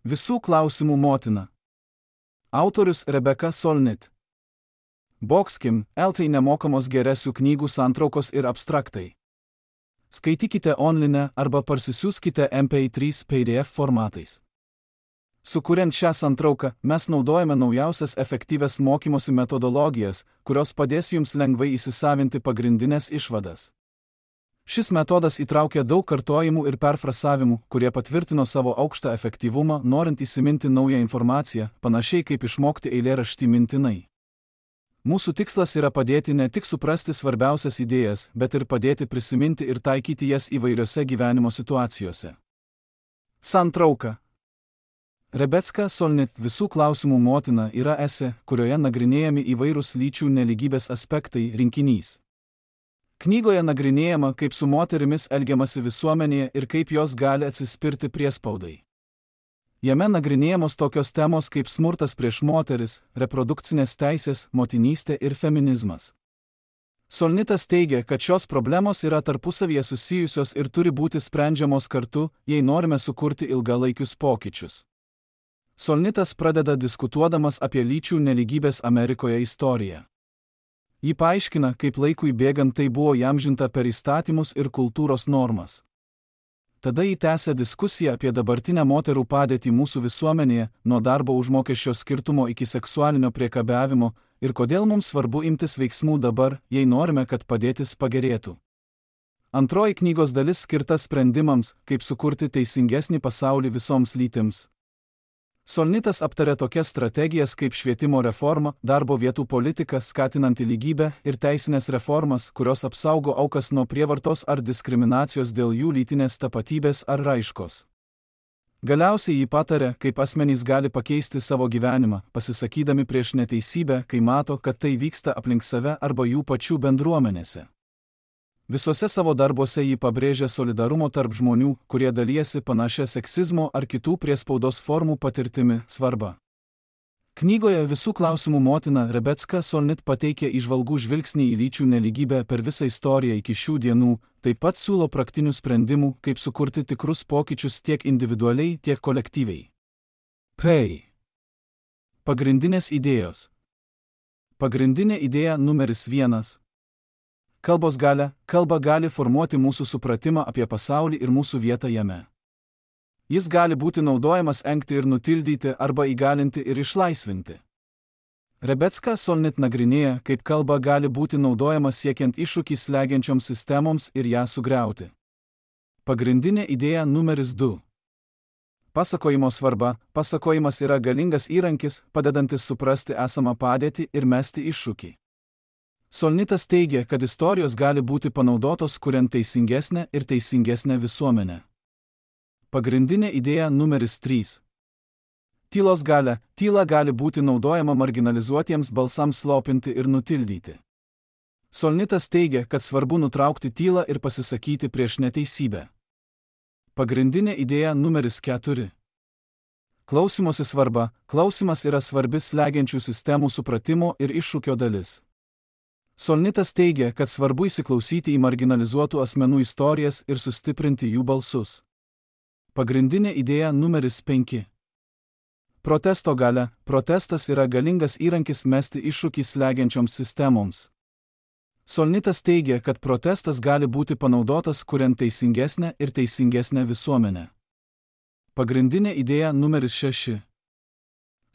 Visų klausimų motina. Autorius Rebeka Solnit. Boxkim, LT nemokamos geresių knygų santraukos ir abstraktai. Skaitykite online arba parsisiųskite MP3 PDF formatais. Sukuriant šią santrauką, mes naudojame naujausias efektyvias mokymosi metodologijas, kurios padės jums lengvai įsisavinti pagrindinės išvadas. Šis metodas įtraukia daug kartojimų ir perfrasavimų, kurie patvirtino savo aukštą efektyvumą, norint įsiminti naują informaciją, panašiai kaip išmokti eilėraštį mintinai. Mūsų tikslas yra padėti ne tik suprasti svarbiausias idėjas, bet ir padėti prisiminti ir taikyti jas įvairiose gyvenimo situacijose. Santrauka. Rebeka Solnit Visų klausimų motina yra esė, kurioje nagrinėjami įvairūs lyčių nelygybės aspektai rinkinys. Knygoje nagrinėjama, kaip su moterimis elgiamasi visuomenėje ir kaip jos gali atsispirti priespaudai. Jame nagrinėjamos tokios temos kaip smurtas prieš moteris, reprodukcinės teisės, motinystė ir feminizmas. Solnitas teigia, kad šios problemos yra tarpusavyje susijusios ir turi būti sprendžiamos kartu, jei norime sukurti ilgalaikius pokyčius. Solnitas pradeda diskutuodamas apie lyčių nelygybės Amerikoje istoriją. Ji paaiškina, kaip laikui bėgant tai buvo įamžinta per įstatymus ir kultūros normas. Tada ji tęsia diskusiją apie dabartinę moterų padėtį mūsų visuomenėje, nuo darbo užmokesčio skirtumo iki seksualinio priekabiavimo, ir kodėl mums svarbu imtis veiksmų dabar, jei norime, kad padėtis pagerėtų. Antroji knygos dalis skirta sprendimams, kaip sukurti teisingesnį pasaulį visoms lytims. Solnitas aptarė tokias strategijas kaip švietimo reforma, darbo vietų politika skatinanti lygybę ir teisinės reformas, kurios apsaugo aukas nuo prievartos ar diskriminacijos dėl jų lytinės tapatybės ar raiškos. Galiausiai ji patarė, kaip asmenys gali pakeisti savo gyvenimą, pasisakydami prieš neteisybę, kai mato, kad tai vyksta aplink save arba jų pačių bendruomenėse. Visose savo darbuose ji pabrėžia solidarumo tarp žmonių, kurie dalijasi panašia seksizmo ar kitų priespaudos formų patirtimi, svarbą. Knygoje Visų klausimų motina Rebeka Solnit pateikia įžvalgų žvilgsnį į lyčių nelygybę per visą istoriją iki šių dienų, taip pat siūlo praktinių sprendimų, kaip sukurti tikrus pokyčius tiek individualiai, tiek kolektyviai. Pagrindinės idėjos. Pagrindinė idėja numeris 1. Kalbos galia. Kalba gali formuoti mūsų supratimą apie pasaulį ir mūsų vietą jame. Jis gali būti naudojamas engti ir nutildyti arba įgalinti ir išlaisvinti. Rebeka Solnit nagrinėja, kaip kalba gali būti naudojama siekiant iššūkį slegiančioms sistemoms ir ją sugriauti. Pagrindinė idėja numeris 2. Pasakojimo svarba. Pasakojimas yra galingas įrankis, padedantis suprasti esamą padėtį ir mesti iššūkį. Solnitas teigia, kad istorijos gali būti panaudotos kuriant teisingesnę ir teisingesnę visuomenę. Pagrindinė idėja numeris 3. Tylos galia. Tyla gali būti naudojama marginalizuotiems balsams slopinti ir nutildyti. Solnitas teigia, kad svarbu nutraukti tylą ir pasisakyti prieš neteisybę. Pagrindinė idėja numeris 4. Klausymosi svarba. Klausimas yra svarbi slegiančių sistemų supratimo ir iššūkio dalis. Solnitas teigia, kad svarbu įsiklausyti į marginalizuotų asmenų istorijas ir sustiprinti jų balsus. Pagrindinė idėja numeris 5. Protesto galia. Protestas yra galingas įrankis mesti iššūkį slegiančioms sistemoms. Solnitas teigia, kad protestas gali būti panaudotas kuriant teisingesnę ir teisingesnę visuomenę. Pagrindinė idėja numeris 6.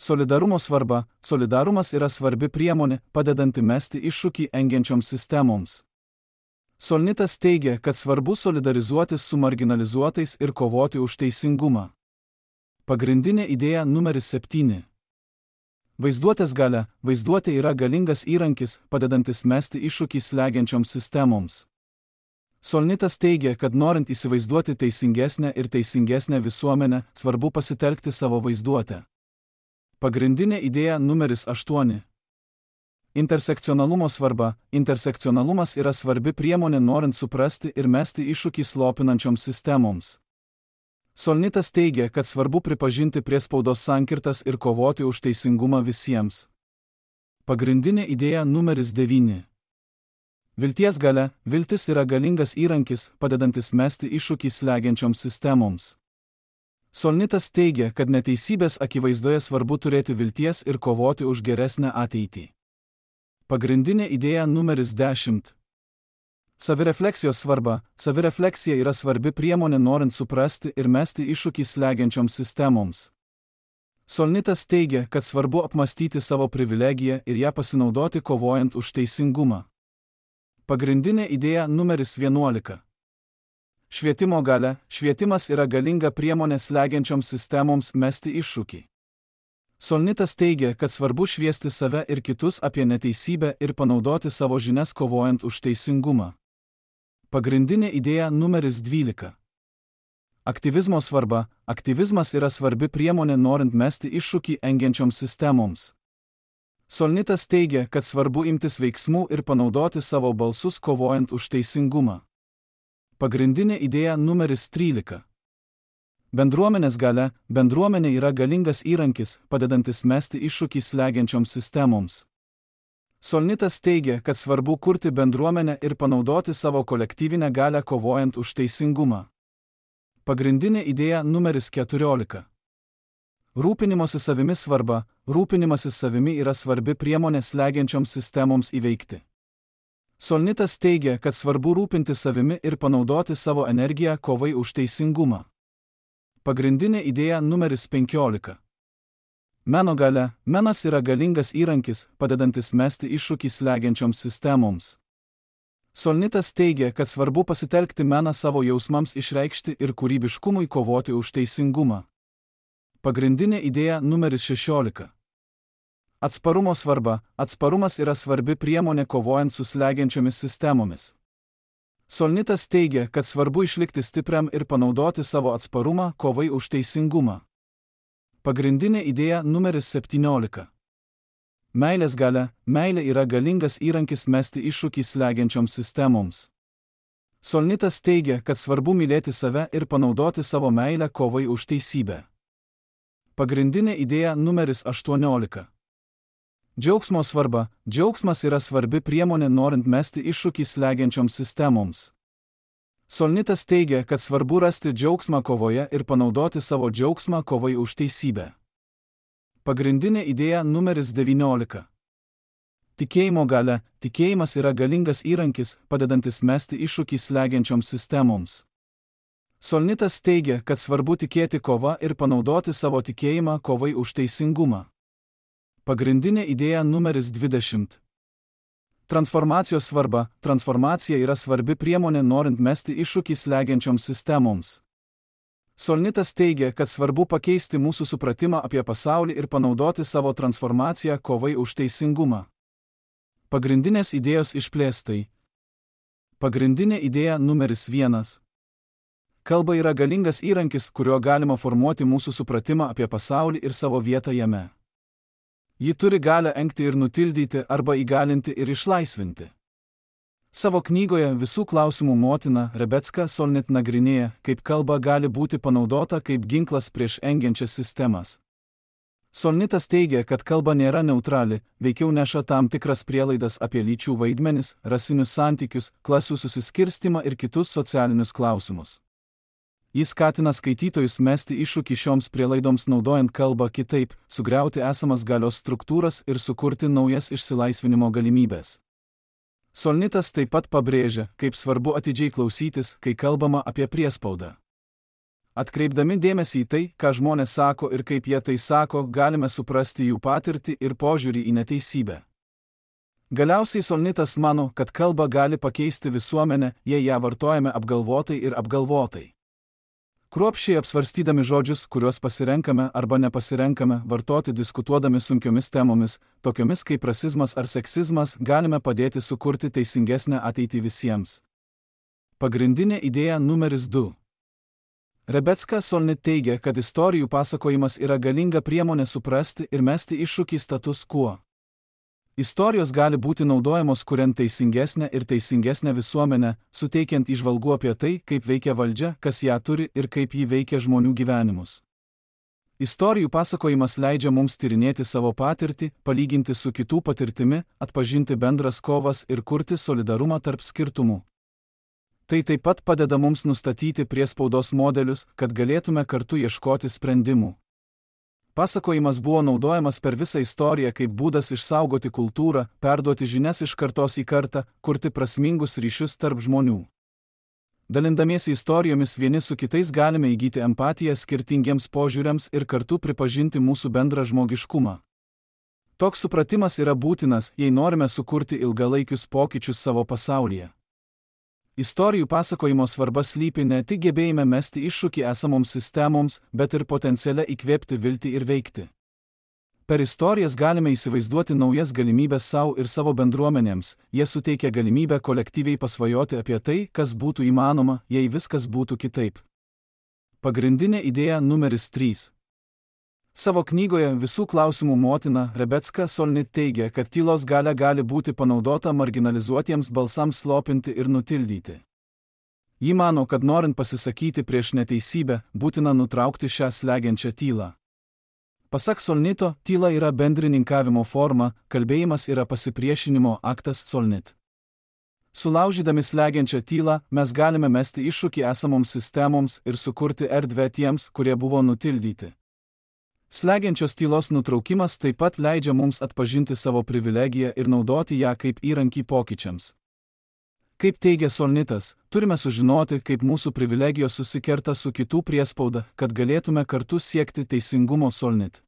Solidarumo svarba. Solidarumas yra svarbi priemonė, padedanti mesti iššūkį engiančioms sistemoms. Solnitas teigia, kad svarbu solidarizuotis su marginalizuotais ir kovoti už teisingumą. Pagrindinė idėja numeris 7. Vaizduotės galia. Vaizduotė yra galingas įrankis, padedantis mesti iššūkį slegiančioms sistemoms. Solnitas teigia, kad norint įsivaizduoti teisingesnę ir teisingesnę visuomenę, svarbu pasitelkti savo vaizduotę. Pagrindinė idėja numeris 8. Intersekcionalumo svarba. Intersekcionalumas yra svarbi priemonė norint suprasti ir mesti iššūkį slopinančioms sistemoms. Solnitas teigia, kad svarbu pripažinti priespaudos sankirtas ir kovoti už teisingumą visiems. Pagrindinė idėja numeris 9. Vilties galia. Viltis yra galingas įrankis, padedantis mesti iššūkį slegiančioms sistemoms. Solnitas teigia, kad neteisybės akivaizdoje svarbu turėti vilties ir kovoti už geresnę ateitį. Pagrindinė idėja numeris 10. Savirefleksijos svarba. Savirefleksija yra svarbi priemonė norint suprasti ir mesti iššūkį slegiančioms sistemoms. Solnitas teigia, kad svarbu apmastyti savo privilegiją ir ją pasinaudoti kovojant už teisingumą. Pagrindinė idėja numeris 11. Švietimo galia. Švietimas yra galinga priemonė slegiančioms sistemoms mesti iššūkį. Solnitas teigia, kad svarbu šviesti save ir kitus apie neteisybę ir panaudoti savo žinias kovojant už teisingumą. Pagrindinė idėja numeris 12. Aktyvizmo svarba. Aktyvizmas yra svarbi priemonė norint mesti iššūkį engiančioms sistemoms. Solnitas teigia, kad svarbu imtis veiksmų ir panaudoti savo balsus kovojant už teisingumą. Pagrindinė idėja numeris 13. Bendruomenės galia. Bendruomenė yra galingas įrankis, padedantis mesti iššūkį slegiančioms sistemoms. Solnitas teigia, kad svarbu kurti bendruomenę ir panaudoti savo kolektyvinę galią kovojant už teisingumą. Pagrindinė idėja numeris 14. Rūpinimosi savimi svarba. Rūpinimasis savimi yra svarbi priemonė slegiančioms sistemoms įveikti. Solnitas teigia, kad svarbu rūpinti savimi ir panaudoti savo energiją kovai už teisingumą. Pagrindinė idėja numeris 15. Meno galia. Menas yra galingas įrankis, padedantis mesti iššūkį slegiančioms sistemoms. Solnitas teigia, kad svarbu pasitelkti meną savo jausmams išreikšti ir kūrybiškumui kovoti už teisingumą. Pagrindinė idėja numeris 16. Atsparumo svarba. Atsparumas yra svarbi priemonė kovojant su slegiančiomis sistemomis. Solnitas teigia, kad svarbu išlikti stipriam ir panaudoti savo atsparumą kovai už teisingumą. Pagrindinė idėja numeris 17. Meilės galia. Meilė yra galingas įrankis mesti iššūkį slegiančioms sistemoms. Solnitas teigia, kad svarbu mylėti save ir panaudoti savo meilę kovai už teisybę. Pagrindinė idėja numeris 18. Džiaugsmo svarba. Džiaugsmas yra svarbi priemonė norint mesti iššūkį slegiančioms sistemoms. Solnitas teigia, kad svarbu rasti džiaugsmą kovoje ir panaudoti savo džiaugsmą kovai už teisybę. Pagrindinė idėja numeris 19. Tikėjimo galia. Tikėjimas yra galingas įrankis, padedantis mesti iššūkį slegiančioms sistemoms. Solnitas teigia, kad svarbu tikėti kova ir panaudoti savo tikėjimą kovai už teisingumą. Pagrindinė idėja numeris 20. Transformacijos svarba. Transformacija yra svarbi priemonė norint mesti iššūkį slegiančioms sistemoms. Solnitas teigia, kad svarbu pakeisti mūsų supratimą apie pasaulį ir panaudoti savo transformaciją kovai už teisingumą. Pagrindinės idėjos išplėstai. Pagrindinė idėja numeris 1. Kalba yra galingas įrankis, kuriuo galima formuoti mūsų supratimą apie pasaulį ir savo vietą jame. Ji turi galią engti ir nutildyti arba įgalinti ir išlaisvinti. Savo knygoje Visų klausimų motina Rebecca Solnit nagrinėja, kaip kalba gali būti panaudota kaip ginklas prieš engiančias sistemas. Solnitas teigia, kad kalba nėra neutrali, veikiau neša tam tikras prielaidas apie lyčių vaidmenis, rasinius santykius, klasių susiskirstimą ir kitus socialinius klausimus. Jis skatina skaitytojus mesti iššūkį šioms prielaidoms naudojant kalbą kitaip, sugriauti esamas galios struktūras ir sukurti naujas išsilaisvinimo galimybės. Solnitas taip pat pabrėžia, kaip svarbu atidžiai klausytis, kai kalbama apie priespaudą. Atkreipdami dėmesį į tai, ką žmonės sako ir kaip jie tai sako, galime suprasti jų patirtį ir požiūrį į neteisybę. Galiausiai Solnitas mano, kad kalba gali pakeisti visuomenę, jei ją vartojame apgalvotai ir apgalvotai. Kruopščiai apsvarstydami žodžius, kuriuos pasirenkame arba nepasirenkame vartoti diskutuodami sunkiomis temomis, tokiomis kaip rasizmas ar seksizmas, galime padėti sukurti teisingesnę ateitį visiems. Pagrindinė idėja numeris 2. Rebecca Solnit teigia, kad istorijų pasakojimas yra galinga priemonė suprasti ir mesti iššūkį status quo. Istorijos gali būti naudojamos kuriant teisingesnę ir teisingesnę visuomenę, suteikiant įžvalgų apie tai, kaip veikia valdžia, kas ją turi ir kaip ji veikia žmonių gyvenimus. Istorijų pasakojimas leidžia mums tyrinėti savo patirtį, palyginti su kitų patirtimi, atpažinti bendras kovas ir kurti solidarumą tarp skirtumų. Tai taip pat padeda mums nustatyti priespaudos modelius, kad galėtume kartu ieškoti sprendimų. Pasakojimas buvo naudojamas per visą istoriją kaip būdas išsaugoti kultūrą, perduoti žinias iš kartos į kartą, kurti prasmingus ryšius tarp žmonių. Dalindamiesi istorijomis vieni su kitais galime įgyti empatiją skirtingiems požiūriams ir kartu pripažinti mūsų bendrą žmogiškumą. Toks supratimas yra būtinas, jei norime sukurti ilgalaikius pokyčius savo pasaulyje. Istorijų pasakojimo svarba slypi ne tik gebėjime mesti iššūkį esamoms sistemoms, bet ir potenciale įkvėpti viltį ir veikti. Per istorijas galime įsivaizduoti naujas galimybės savo ir savo bendruomenėms, jie suteikia galimybę kolektyviai pasvajoti apie tai, kas būtų įmanoma, jei viskas būtų kitaip. Pagrindinė idėja numeris 3. Savo knygoje Visų klausimų motina Rebecca Solnit teigia, kad tylos galia gali būti panaudota marginalizuotiems balsams slopinti ir nutildyti. Ji mano, kad norint pasisakyti prieš neteisybę, būtina nutraukti šią slegiančią tylą. Pasak Solnito, tyla yra bendrininkavimo forma, kalbėjimas yra pasipriešinimo aktas Solnit. Sulaužydami slegiančią tylą, mes galime mesti iššūkį esamoms sistemoms ir sukurti erdvę tiems, kurie buvo nutildyti. Slegiančios tylos nutraukimas taip pat leidžia mums atpažinti savo privilegiją ir naudoti ją kaip įrankį pokyčiams. Kaip teigia Solnitas, turime sužinoti, kaip mūsų privilegijos susikerta su kitų priespauda, kad galėtume kartu siekti teisingumo Solnit.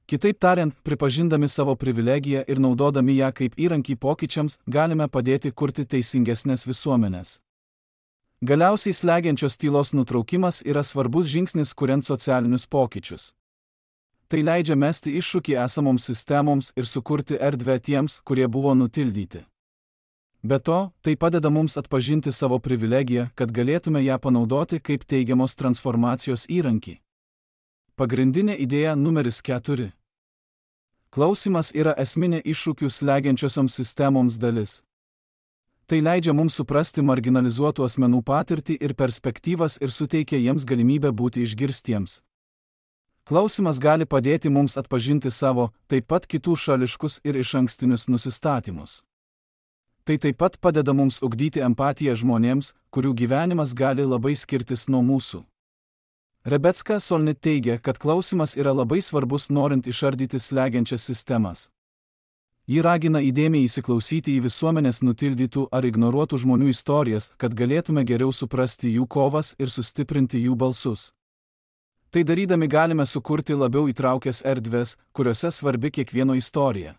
Kitaip tariant, pripažindami savo privilegiją ir naudodami ją kaip įrankį pokyčiams, galime padėti kurti teisingesnės visuomenės. Galiausiai slegiančios tylos nutraukimas yra svarbus žingsnis kuriant socialinius pokyčius. Tai leidžia mesti iššūkį esamoms sistemoms ir sukurti erdvę tiems, kurie buvo nutildyti. Be to, tai padeda mums atpažinti savo privilegiją, kad galėtume ją panaudoti kaip teigiamos transformacijos įrankį. Pagrindinė idėja numeris 4. Klausimas yra esminė iššūkių slegiančiosioms sistemoms dalis. Tai leidžia mums suprasti marginalizuotų asmenų patirtį ir perspektyvas ir suteikia jiems galimybę būti išgirstiems. Klausimas gali padėti mums atpažinti savo, taip pat kitų šališkus ir išankstinius nusistatymus. Tai taip pat padeda mums ugdyti empatiją žmonėms, kurių gyvenimas gali labai skirtis nuo mūsų. Rebecca Solnit teigia, kad klausimas yra labai svarbus norint išardyti slegiančias sistemas. Ji ragina įdėmiai įsiklausyti į visuomenės nutildytų ar ignoruotų žmonių istorijas, kad galėtume geriau suprasti jų kovas ir sustiprinti jų balsus. Tai darydami galime sukurti labiau įtraukęs erdves, kuriuose svarbi kiekvieno istorija.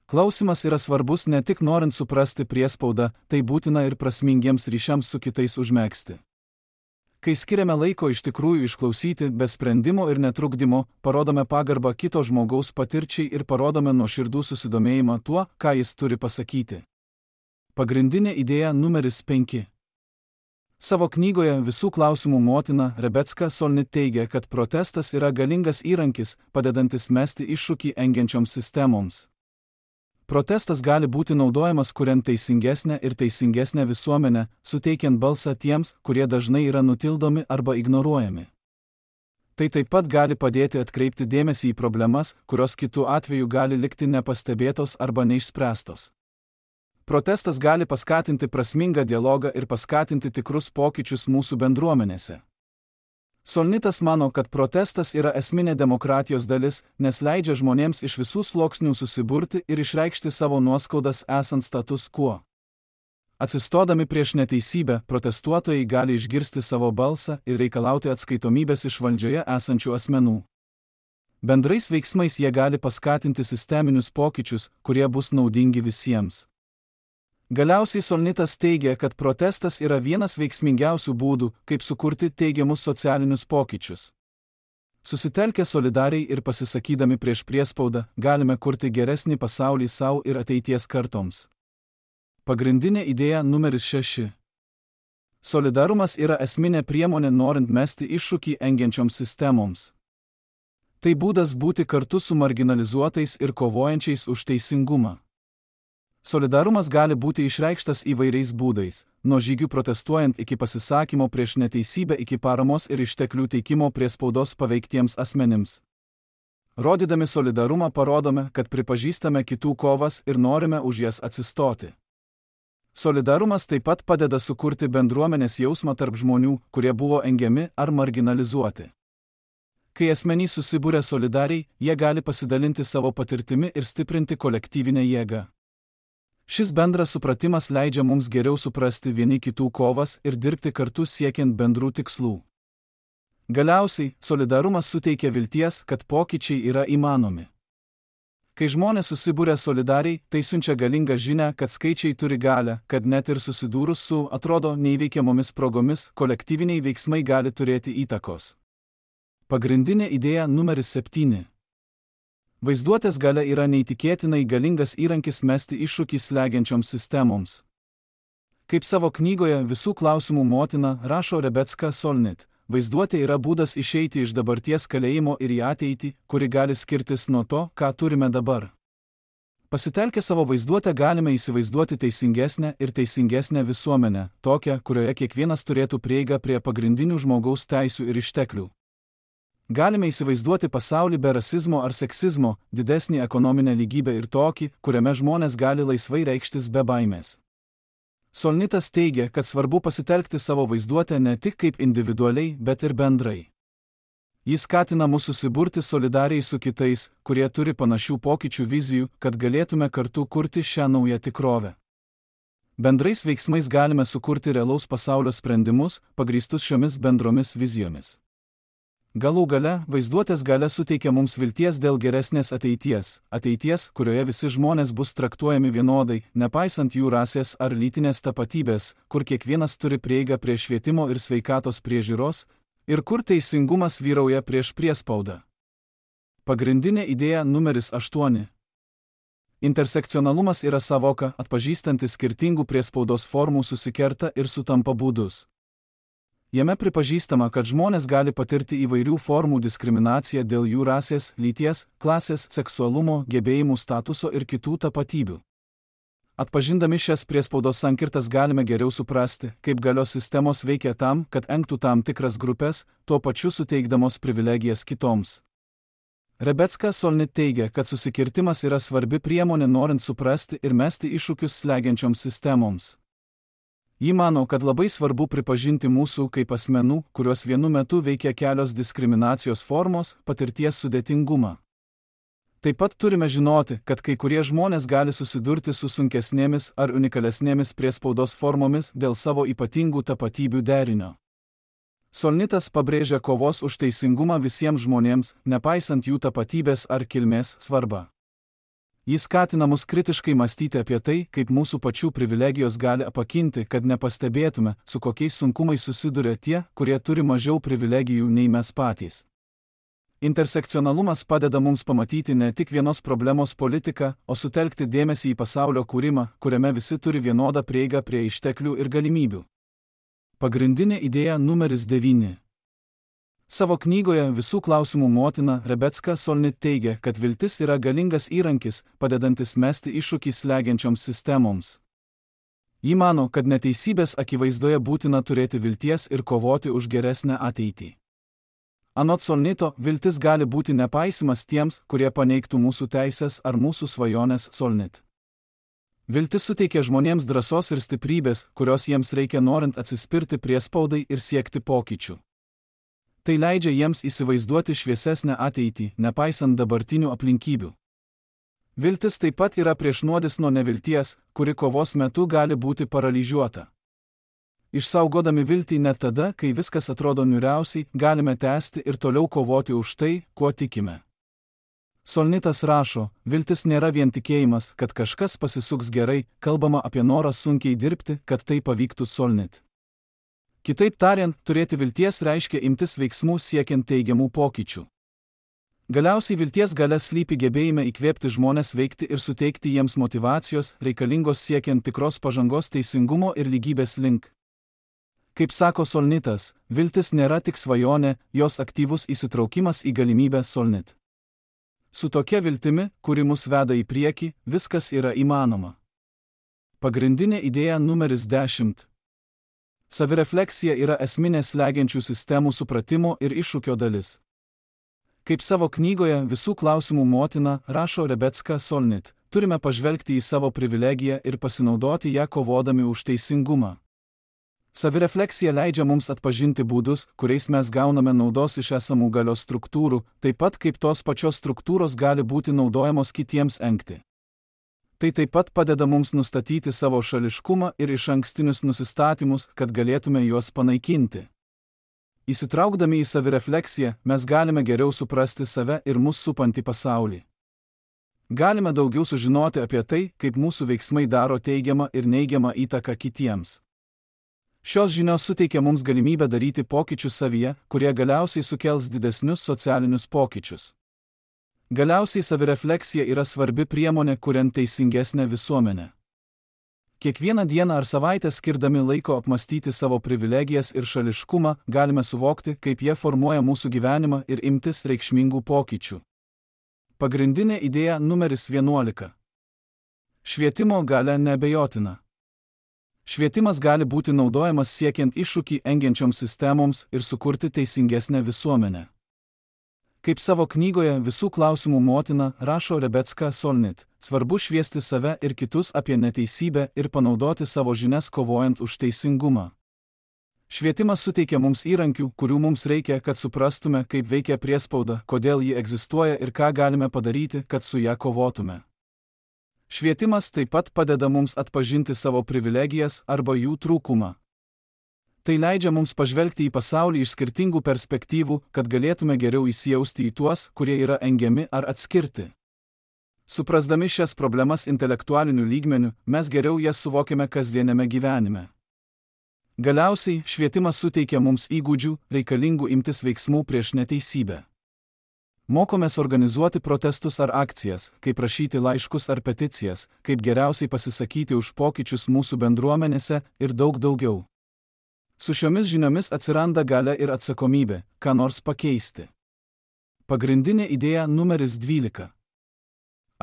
Klausimas yra svarbus ne tik norint suprasti priespaudą, tai būtina ir prasmingiems ryšiams su kitais užmegzti. Kai skiriame laiko iš tikrųjų išklausyti, be sprendimo ir netrukdymo, parodome pagarbą kito žmogaus patirčiai ir parodome nuoširdų susidomėjimą tuo, ką jis turi pasakyti. Pagrindinė idėja numeris 5. Savo knygoje Visų klausimų motina Rebecca Solnit teigia, kad protestas yra galingas įrankis, padedantis mesti iššūkį engiančioms sistemoms. Protestas gali būti naudojamas kuriant teisingesnę visuomenę, suteikiant balsą tiems, kurie dažnai yra nutildomi arba ignoruojami. Tai taip pat gali padėti atkreipti dėmesį į problemas, kurios kitu atveju gali likti nepastebėtos arba neišspręstos. Protestas gali paskatinti prasmingą dialogą ir paskatinti tikrus pokyčius mūsų bendruomenėse. Solnitas mano, kad protestas yra esminė demokratijos dalis, nes leidžia žmonėms iš visų sluoksnių susiburti ir išreikšti savo nuoskaudas esant status quo. Atsistodami prieš neteisybę, protestuotojai gali išgirsti savo balsą ir reikalauti atskaitomybės iš valdžioje esančių asmenų. Bendrais veiksmais jie gali paskatinti sisteminius pokyčius, kurie bus naudingi visiems. Galiausiai Solnitas teigia, kad protestas yra vienas veiksmingiausių būdų, kaip sukurti teigiamus socialinius pokyčius. Susitelkę solidariai ir pasisakydami prieš priespaudą, galime kurti geresnį pasaulį savo ir ateities kartoms. Pagrindinė idėja numeris 6. Solidarumas yra esminė priemonė norint mesti iššūkį engiančioms sistemoms. Tai būdas būti kartu su marginalizuotais ir kovojančiais už teisingumą. Solidarumas gali būti išreikštas įvairiais būdais, nuo žygių protestuojant iki pasisakymo prieš neteisybę iki paramos ir išteklių teikimo priespaudos paveiktiems asmenims. Rodydami solidarumą parodome, kad pripažįstame kitų kovas ir norime už jas atsistoti. Solidarumas taip pat padeda sukurti bendruomenės jausmą tarp žmonių, kurie buvo engiami ar marginalizuoti. Kai asmenys susibūrė solidariai, jie gali pasidalinti savo patirtimi ir stiprinti kolektyvinę jėgą. Šis bendras supratimas leidžia mums geriau suprasti vieni kitų kovas ir dirbti kartu siekiant bendrų tikslų. Galiausiai, solidarumas suteikia vilties, kad pokyčiai yra įmanomi. Kai žmonės susibūrė solidariai, tai siunčia galingą žinią, kad skaičiai turi galią, kad net ir susidūrus su, atrodo, neįveikiamomis progomis, kolektyviniai veiksmai gali turėti įtakos. Pagrindinė idėja numeris 7. Vaizduotės galia yra neįtikėtinai galingas įrankis mesti iššūkį slegiančioms sistemoms. Kaip savo knygoje Visų klausimų motina rašo Rebecca Solnit, vaizduotė yra būdas išeiti iš dabarties kalėjimo ir į ateitį, kuri gali skirtis nuo to, ką turime dabar. Pasitelkę savo vaizduotę galime įsivaizduoti teisingesnę visuomenę, tokią, kurioje kiekvienas turėtų prieigą prie pagrindinių žmogaus teisių ir išteklių. Galime įsivaizduoti pasaulį be rasizmo ar seksizmo, didesnį ekonominę lygybę ir tokį, kuriame žmonės gali laisvai reikštis be baimės. Solnitas teigia, kad svarbu pasitelkti savo vaizduotę ne tik kaip individualiai, bet ir bendrai. Jis skatina mus susiburti solidariai su kitais, kurie turi panašių pokyčių vizijų, kad galėtume kartu kurti šią naują tikrovę. Bendrais veiksmais galime sukurti realaus pasaulio sprendimus, pagrįstus šiomis bendromis vizijomis. Galų gale, vaizduotės galia suteikia mums vilties dėl geresnės ateities, kurioje visi žmonės bus traktuojami vienodai, nepaisant jų rasės ar lytinės tapatybės, kur kiekvienas turi prieigą prie švietimo ir sveikatos priežiūros, ir kur teisingumas vyrauja prieš priespaudą. Pagrindinė idėja numeris 8. Intersekcionalumas yra savoka, atpažįstanti skirtingų priespaudos formų susikerta ir sutampa būdus. Jame pripažįstama, kad žmonės gali patirti įvairių formų diskriminaciją dėl jų rasės, lyties, klasės, seksualumo, gebėjimų statuso ir kitų tapatybių. Atpažindami šias priespaudos sankirtas galime geriau suprasti, kaip galios sistemos veikia tam, kad engtų tam tikras grupės, tuo pačiu suteikdamos privilegijas kitoms. Rebecca Solnit teigia, kad susikirtimas yra svarbi priemonė norint suprasti ir mesti iššūkius slegiančioms sistemoms. Ji mano, kad labai svarbu pripažinti mūsų kaip asmenų, kurios vienu metu veikia kelios diskriminacijos formos, patirties sudėtingumą. Taip pat turime žinoti, kad kai kurie žmonės gali susidurti su sunkesnėmis ar unikalesnėmis priespaudos formomis dėl savo ypatingų tapatybių derinio. Solnitas pabrėžia kovos už teisingumą visiems žmonėms, nepaisant jų tapatybės ar kilmės svarbą. Jis skatina mus kritiškai mąstyti apie tai, kaip mūsų pačių privilegijos gali apakinti, kad nepastebėtume, su kokiais sunkumais susiduria tie, kurie turi mažiau privilegijų nei mes patys. Intersekcionalumas padeda mums pamatyti ne tik vienos problemos politiką, o sutelkti dėmesį į pasaulio kūrimą, kuriame visi turi vienodą prieigą prie išteklių ir galimybių. Pagrindinė idėja numeris 9. Savo knygoje Visų klausimų motina Rebecca Solnit teigia, kad viltis yra galingas įrankis, padedantis mesti iššūkį slegiančioms sistemoms. Ji mano, kad neteisybės akivaizdoje būtina turėti vilties ir kovoti už geresnę ateitį. Anot Solnito, viltis gali būti nepaisimas tiems, kurie paneigtų mūsų teisės ar mūsų svajonės. Solnit. Viltis suteikia žmonėms drąsos ir stiprybės, kurios jiems reikia norint atsispirti priespaudai ir siekti pokyčių. Tai leidžia jiems įsivaizduoti šviesesnę ateitį, nepaisant dabartinių aplinkybių. Viltis taip pat yra priešnuodis nuo nevilties, kuri kovos metu gali būti paralyžiuota. Išsaugodami viltį net tada, kai viskas atrodo niūriausiai, galime tęsti ir toliau kovoti už tai, kuo tikime. Solnitas rašo, viltis nėra vien tikėjimas, kad kažkas pasisuks gerai, kalbama apie norą sunkiai dirbti, kad tai pavyktų. Solnit. Kitaip tariant, turėti vilties reiškia imtis veiksmų siekiant teigiamų pokyčių. Galiausiai vilties galia slypi gebėjime įkvėpti žmones veikti ir suteikti jiems motyvacijos, reikalingos siekiant tikros pažangos teisingumo ir lygybės link. Kaip sako Solnitas, viltis nėra tik svajonė, jos aktyvus įsitraukimas į galimybę. Solnit. Su tokia viltimi, kuri mus veda į priekį, viskas yra įmanoma. Pagrindinė idėja numeris 10. Savirefleksija yra esminė slegiančių sistemų supratimo ir iššūkio dalis. Kaip savo knygoje Visų klausimų motina rašo Rebecca Solnit, turime pažvelgti į savo privilegiją ir pasinaudoti ją kovodami už teisingumą. Savirefleksija leidžia mums atpažinti būdus, kuriais mes gauname naudos iš esamų galios struktūrų, taip pat kaip tos pačios struktūros gali būti naudojamos kitiems engti. Tai taip pat padeda mums nustatyti savo šališkumą ir išankstinius nusistatymus, kad galėtume juos panaikinti. Įsitraukdami į savirefleksiją, mes galime geriau suprasti save ir mus supantį pasaulį. Galime daugiau sužinoti apie tai, kaip mūsų veiksmai daro teigiamą ir neigiamą įtaką kitiems. Šios žinios suteikia mums galimybę daryti pokyčius savyje, kurie galiausiai sukels didesnius socialinius pokyčius. Galiausiai savirefleksija yra svarbi priemonė, kuriant teisingesnę visuomenę. Kiekvieną dieną ar savaitę skirdami laiko apmastyti savo privilegijas ir šališkumą, galime suvokti, kaip jie formuoja mūsų gyvenimą ir imtis reikšmingų pokyčių. Pagrindinė idėja numeris 11. Švietimo galia neabejotina. Švietimas gali būti naudojamas siekiant iššūkį engiančioms sistemoms ir sukurti teisingesnę visuomenę. Kaip savo knygoje Visų klausimų motina rašo Rebecca Solnit, svarbu šviesti save ir kitus apie neteisybę ir panaudoti savo žinias kovojant už teisingumą. Švietimas suteikia mums įrankių, kurių mums reikia, kad suprastume, kaip veikia priespauda, kodėl ji egzistuoja ir ką galime padaryti, kad su ją kovotume. Švietimas taip pat padeda mums atpažinti savo privilegijas arba jų trūkumą. Tai leidžia mums pažvelgti į pasaulį iš skirtingų perspektyvų, kad galėtume geriau įsijausti į tuos, kurie yra engiami ar atskirti. Suprasdami šias problemas intelektualiniu lygmeniu, mes geriau jas suvokiame kasdienėme gyvenime. Galiausiai, švietimas suteikia mums įgūdžių, reikalingų imtis veiksmų prieš neteisybę. Mokomės organizuoti protestus ar akcijas, kaip rašyti laiškus ar peticijas, kaip geriausiai pasisakyti už pokyčius mūsų bendruomenėse ir daug daugiau. Su šiomis žiniomis atsiranda galia ir atsakomybė, ką nors pakeisti. Pagrindinė idėja numeris 12.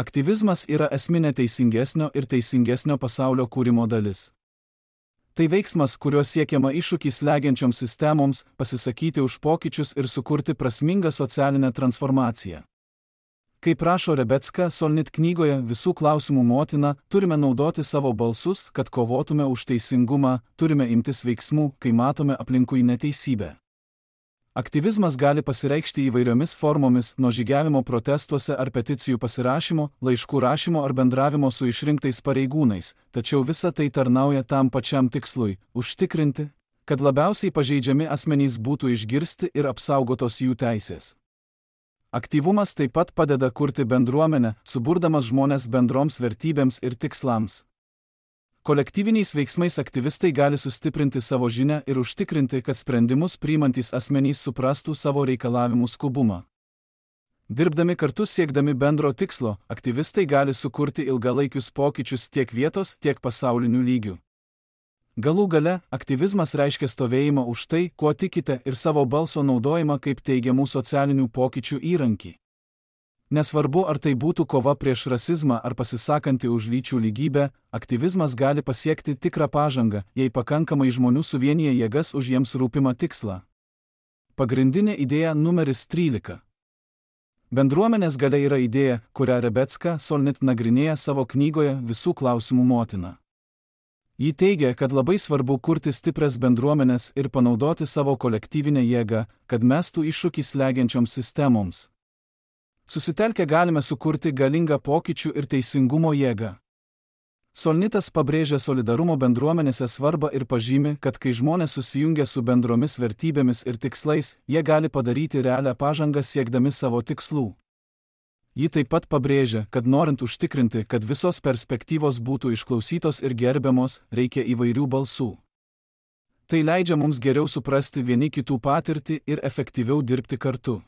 Aktyvizmas yra esminė teisingesnio ir teisingesnio pasaulio kūrimo dalis. Tai veiksmas, kuriuo siekiama iššūkį slegiančioms sistemoms, pasisakyti už pokyčius ir sukurti prasmingą socialinę transformaciją. Kaip rašo Rebecca Solnit knygoje Visų klausimų motina, turime naudoti savo balsus, kad kovotume už teisingumą, turime imtis veiksmų, kai matome aplinkui neteisybę. Aktyvizmas gali pasireikšti įvairiomis formomis, nuo žygiavimo protestuose ar peticijų pasirašymo, laiškų rašymo ar bendravimo su išrinktais pareigūnais, tačiau visa tai tarnauja tam pačiam tikslui – užtikrinti, kad labiausiai pažeidžiami asmenys būtų išgirsti ir apsaugotos jų teisės. Aktyvumas taip pat padeda kurti bendruomenę, suburdamas žmones bendroms vertybėms ir tikslams. Kolektyviniais veiksmais aktyvistai gali sustiprinti savo žinią ir užtikrinti, kad sprendimus priimantys asmenys suprastų savo reikalavimų skubumą. Dirbdami kartu siekdami bendro tikslo, aktyvistai gali sukurti ilgalaikius pokyčius tiek vietos, tiek pasaulinių lygių. Galų gale, aktyvizmas reiškia stovėjimą už tai, kuo tikite ir savo balso naudojimą kaip teigiamų socialinių pokyčių įrankį. Nesvarbu, ar tai būtų kova prieš rasizmą ar pasisakanti už lyčių lygybę, aktyvizmas gali pasiekti tikrą pažangą, jei pakankamai žmonių suvienyje jėgas už jiems rūpimą tikslą. Pagrindinė idėja numeris 13. Bendruomenės galia yra idėja, kurią Rebecca Solnit nagrinėja savo knygoje Visų klausimų motina. Ji teigia, kad labai svarbu kurti stiprias bendruomenės ir panaudoti savo kolektyvinę jėgą, kad mestų iššūkį slegiančioms sistemoms. Susitelkę galime sukurti galingą pokyčių ir teisingumo jėgą. Solnitas pabrėžia solidarumo bendruomenėse svarbą ir pažymi, kad kai žmonės susijungia su bendromis vertybėmis ir tikslais, jie gali padaryti realią pažangą siekdami savo tikslų. Ji taip pat pabrėžia, kad norint užtikrinti, kad visos perspektyvos būtų išklausytos ir gerbiamos, reikia įvairių balsų. Tai leidžia mums geriau suprasti vieni kitų patirtį ir efektyviau dirbti kartu.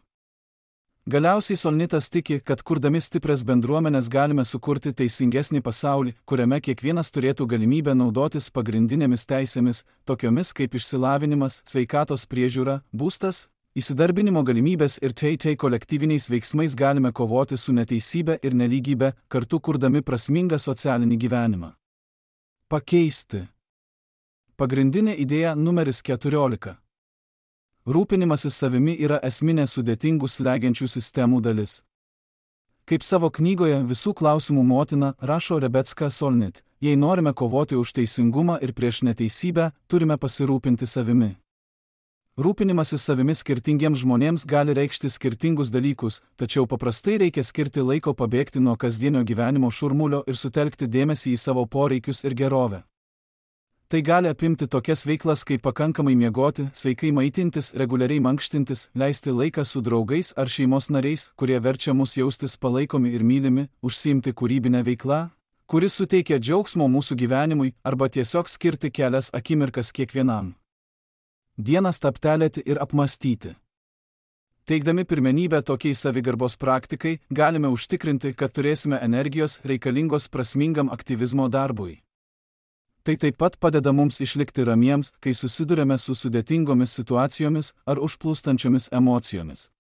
Galiausiai Solnitas tiki, kad kurdami stiprias bendruomenės galime sukurti teisingesnį pasaulį, kuriame kiekvienas turėtų galimybę naudotis pagrindinėmis teisėmis, tokiomis kaip išsilavinimas, sveikatos priežiūra, būstas, įsidarbinimo galimybės ir kolektyviniais veiksmais galime kovoti su neteisybe ir nelygybė, kartu kurdami prasmingą socialinį gyvenimą. Pakeisti. Pagrindinė idėja numeris 14. Rūpinimasis savimi yra esminė sudėtingų slegiančių sistemų dalis. Kaip savo knygoje Visų klausimų motina rašo Rebecca Solnit, jei norime kovoti už teisingumą ir prieš neteisybę, turime pasirūpinti savimi. Rūpinimasis savimi skirtingiems žmonėms gali reikšti skirtingus dalykus, tačiau paprastai reikia skirti laiko pabėgti nuo kasdienio gyvenimo šurmulio ir sutelkti dėmesį į savo poreikius ir gerovę. Tai gali apimti tokias veiklas kaip pakankamai miegoti, sveikai maitintis, reguliariai mankštintis, leisti laiką su draugais ar šeimos nariais, kurie verčia mus jaustis palaikomi ir mylimi, užsiimti kūrybinę veiklą, kuris suteikia džiaugsmo mūsų gyvenimui, arba tiesiog skirti kelias akimirkas kiekvienam dieną stabtelėti ir apmąstyti. Teikdami pirmenybę tokiai savigarbos praktikai, galime užtikrinti, kad turėsime energijos reikalingos prasmingam aktyvizmo darbui. Tai taip pat padeda mums išlikti ramiems, kai susidurėme su sudėtingomis situacijomis ar užplūstančiomis emocijomis.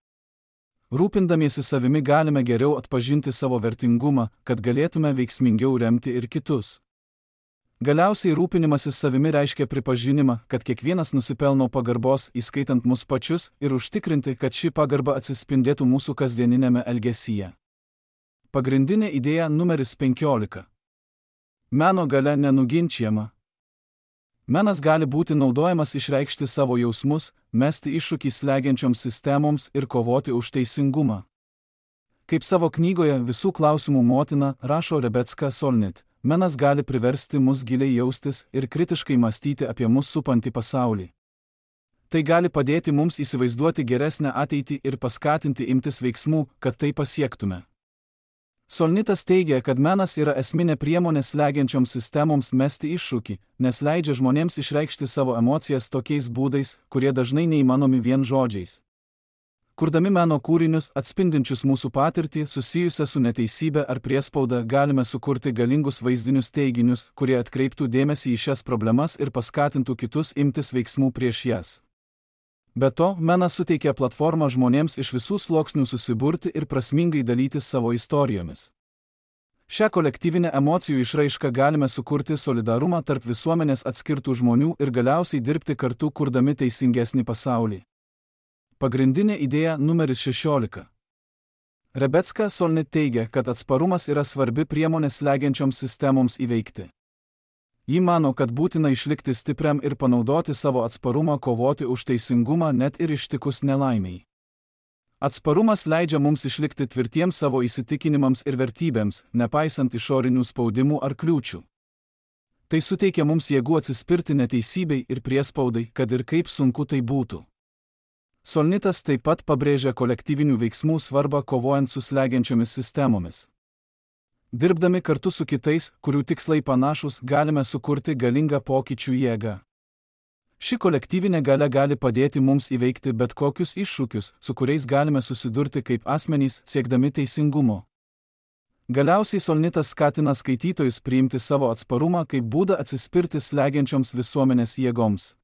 Rūpindamiesi savimi galime geriau atpažinti savo vertingumą, kad galėtume veiksmingiau remti ir kitus. Galiausiai rūpinimasis savimi reiškia pripažinimą, kad kiekvienas nusipelno pagarbos, įskaitant mus pačius, ir užtikrinti, kad ši pagarba atsispindėtų mūsų kasdieninėme elgesyje. Pagrindinė idėja numeris 15. Meno galia nenuginčiama. Menas gali būti naudojamas išreikšti savo jausmus, mesti iššūkį slegiančioms sistemoms ir kovoti už teisingumą. Kaip savo knygoje Visų klausimų motina rašo Rebecca Solnit, menas gali priversti mus giliai jaustis ir kritiškai mąstyti apie mus supantį pasaulį. Tai gali padėti mums įsivaizduoti geresnę ateitį ir paskatinti imtis veiksmų, kad tai pasiektume. Solnitas teigia, kad menas yra esminė priemonė slegiančioms sistemoms mesti iššūkį, nes leidžia žmonėms išreikšti savo emocijas tokiais būdais, kurie dažnai neįmanomi vien žodžiais. Kurdami meno kūrinius atspindinčius mūsų patirtį susijusią su neteisybė ar priespauda, galime sukurti galingus vaizdinius teiginius, kurie atkreiptų dėmesį į šias problemas ir paskatintų kitus imtis veiksmų prieš jas. Be to, menas suteikia platformą žmonėms iš visų sluoksnių susiburti ir prasmingai dalytis savo istorijomis. Šią kolektyvinę emocijų išraišką galime sukurti solidarumą tarp visuomenės atskirtų žmonių ir galiausiai dirbti kartu, kurdami teisingesnį pasaulį. Pagrindinė idėja numeris 16. Rebecca Solnit teigia, kad atsparumas yra svarbi priemonė slegiančioms sistemoms įveikti. Ji mano, kad būtina išlikti stipriam ir panaudoti savo atsparumą kovoti už teisingumą net ir ištikus nelaimiai. Atsparumas leidžia mums išlikti tvirtiems savo įsitikinimams ir vertybėms, nepaisant išorinių spaudimų ar kliūčių. Tai suteikia mums jėgų atsispirti neteisybei ir priespaudai, kad ir kaip sunku tai būtų. Solnitas taip pat pabrėžia kolektyvinių veiksmų svarbą kovojant su slegiančiomis sistemomis. Dirbdami kartu su kitais, kurių tikslai panašus, galime sukurti galingą pokyčių jėgą. Ši kolektyvinė galia gali padėti mums įveikti bet kokius iššūkius, su kuriais galime susidurti kaip asmenys, siekdami teisingumo. Galiausiai Solnitas skatina skaitytojus priimti savo atsparumą kaip būdą atsispirti slegiančioms visuomenės jėgoms.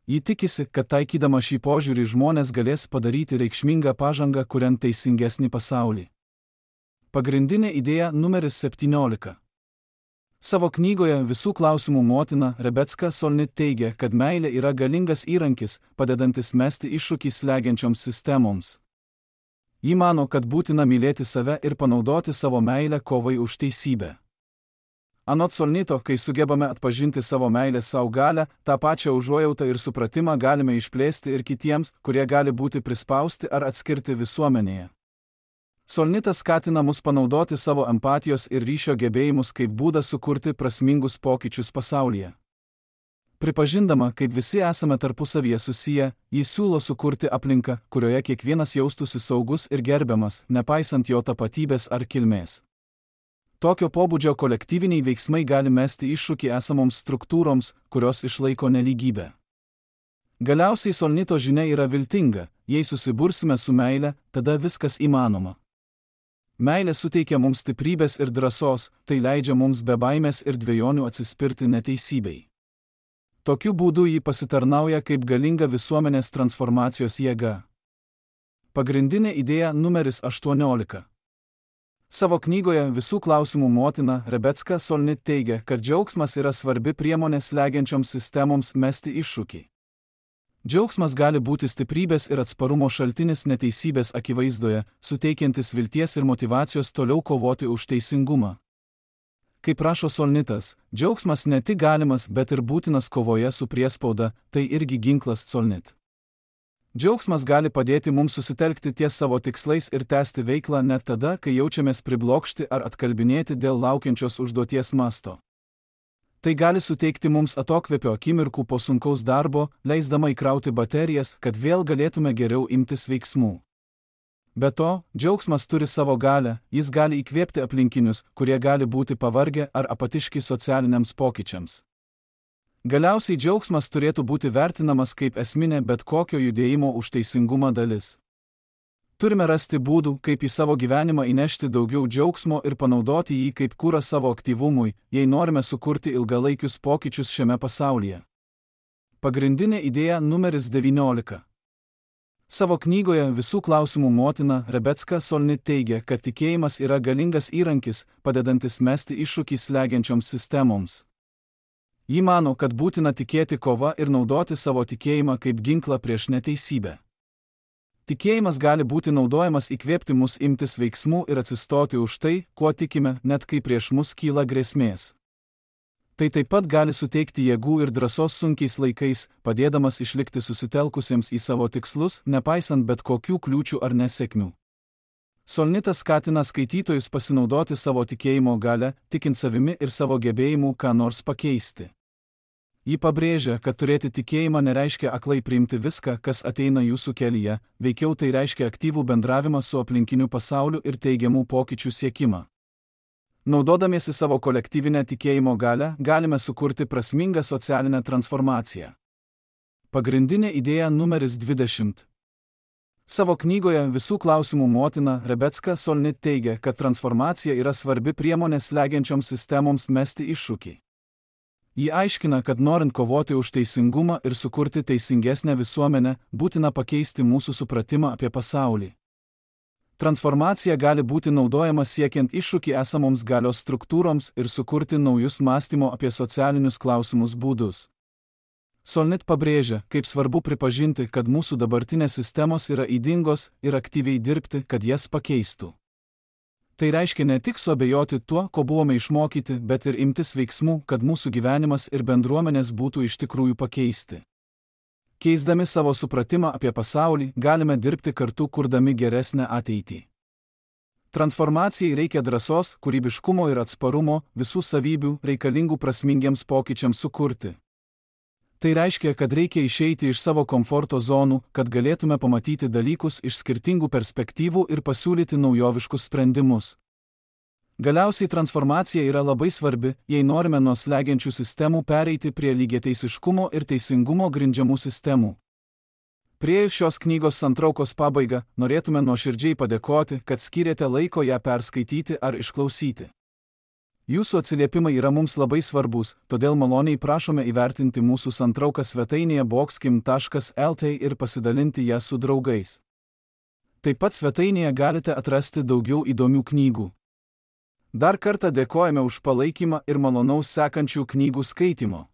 Ji tikisi, kad taikydama šį požiūrį žmonės galės padaryti reikšmingą pažangą, kuriant teisingesnį pasaulį. Pagrindinė idėja numeris 17. Savo knygoje Visų klausimų motina Rebecca Solnit teigia, kad meilė yra galingas įrankis, padedantis mesti iššūkį slegiančioms sistemoms. Ji mano, kad būtina mylėti save ir panaudoti savo meilę kovai už teisybę. Anot Solnito, kai sugebame atpažinti savo meilės savo galią, tą pačią užuojautą ir supratimą galime išplėsti ir kitiems, kurie gali būti prispausti ar atskirti visuomenėje. Solnitas skatina mus panaudoti savo empatijos ir ryšio gebėjimus kaip būdą sukurti prasmingus pokyčius pasaulyje. Pripažindama, kaip visi esame tarpusavyje susiję, ji siūlo sukurti aplinką, kurioje kiekvienas jaustųsi saugus ir gerbiamas, nepaisant jo tapatybės ar kilmės. Tokio pobūdžio kolektyviniai veiksmai gali mesti iššūkį esamoms struktūroms, kurios išlaiko nelygybę. Galiausiai Solnito žinia yra viltinga: jei susibursime su meile, tada viskas įmanoma. Meilė suteikia mums stiprybės ir drąsos, tai leidžia mums be baimės ir dvejonių atsispirti neteisybei. Tokiu būdu ji pasitarnauja kaip galinga visuomenės transformacijos jėga. Pagrindinė idėja numeris 18. Savo knygoje Visų klausimų motina Rebecca Solnit teigia, kad džiaugsmas yra svarbi priemonė slegiančioms sistemoms mesti iššūkį. Džiaugsmas gali būti stiprybės ir atsparumo šaltinis neteisybės akivaizdoje, suteikiantis vilties ir motyvacijos toliau kovoti už teisingumą. Kaip rašo Solnitas, džiaugsmas ne tik galimas, bet ir būtinas kovoje su priespauda, tai irgi ginklas Solnit. Džiaugsmas gali padėti mums susitelkti ties savo tikslais ir tęsti veiklą net tada, kai jaučiamės priblokšti ar atkalbinėti dėl laukiančios užduoties masto. Tai gali suteikti mums atokvėpio akimirkų po sunkaus darbo, leisdama įkrauti baterijas, kad vėl galėtume geriau imtis veiksmų. Be to, džiaugsmas turi savo galią, jis gali įkvėpti aplinkinius, kurie gali būti pavargę ar apatiški socialiniams pokyčiams. Galiausiai džiaugsmas turėtų būti vertinamas kaip esminė bet kokio judėjimo už teisingumą dalis. Turime rasti būdų, kaip į savo gyvenimą įnešti daugiau džiaugsmo ir panaudoti jį kaip kurą savo aktyvumui, jei norime sukurti ilgalaikius pokyčius šiame pasaulyje. Pagrindinė idėja numeris 19. Savo knygoje Visų klausimų motina Rebecca Solnit teigia, kad tikėjimas yra galingas įrankis, padedantis mesti iššūkį slegiančioms sistemoms. Ji mano, kad būtina tikėti kova ir naudoti savo tikėjimą kaip ginklą prieš neteisybę. Tikėjimas gali būti naudojamas įkvėpti mus imtis veiksmų ir atsistoti už tai, kuo tikime, net kai prieš mus kyla grėsmės. Tai taip pat gali suteikti jėgų ir drąsos sunkiais laikais, padėdamas išlikti susitelkusiems į savo tikslus, nepaisant bet kokių kliūčių ar nesėkmių. Solnitas skatina skaitytojus pasinaudoti savo tikėjimo galią, tikint savimi ir savo gebėjimu ką nors pakeisti. Ji pabrėžia, kad turėti tikėjimą nereiškia aklai priimti viską, kas ateina jūsų kelyje, veikiau tai reiškia aktyvų bendravimą su aplinkiniu pasauliu ir teigiamų pokyčių siekimą. Naudodamiesi savo kolektyvinę tikėjimo galią, galime sukurti prasmingą socialinę transformaciją. Pagrindinė idėja numeris 20. Savo knygoje Visų klausimų motina Rebecca Solnit teigia, kad transformacija yra svarbi priemonė slegiančioms sistemoms mesti iššūkį. Ji aiškina, kad norint kovoti už teisingumą ir sukurti teisingesnę visuomenę, būtina pakeisti mūsų supratimą apie pasaulį. Transformacija gali būti naudojama siekiant iššūkį esamoms galios struktūroms ir sukurti naujus mąstymo apie socialinius klausimus būdus. Solnit pabrėžia, kaip svarbu pripažinti, kad mūsų dabartinės sistemos yra ydingos ir aktyviai dirbti, kad jas pakeistų. Tai reiškia ne tik suabejoti tuo, ko buvome išmokyti, bet ir imtis veiksmų, kad mūsų gyvenimas ir bendruomenės būtų iš tikrųjų pakeisti. Keisdami savo supratimą apie pasaulį, galime dirbti kartu, kurdami geresnę ateitį. Transformacijai reikia drąsos, kūrybiškumo ir atsparumo, visų savybių reikalingų prasmingiems pokyčiams sukurti. Tai reiškia, kad reikia išeiti iš savo komforto zonų, kad galėtume pamatyti dalykus iš skirtingų perspektyvų ir pasiūlyti naujoviškus sprendimus. Galiausiai transformacija yra labai svarbi, jei norime nuo slegiančių sistemų pereiti prie lygiateisiškumo ir teisingumo grindžiamų sistemų. Priėjus šios knygos santraukos pabaigą, norėtume nuoširdžiai padėkoti, kad skyrėte laiko ją perskaityti ar išklausyti. Jūsų atsiliepimai yra mums labai svarbus, todėl maloniai prašome įvertinti mūsų santrauką svetainėje boxkim.lt ir pasidalinti ją su draugais. Taip pat svetainėje galite atrasti daugiau įdomių knygų. Dar kartą dėkojame už palaikymą ir malonaus sekančių knygų skaitymo.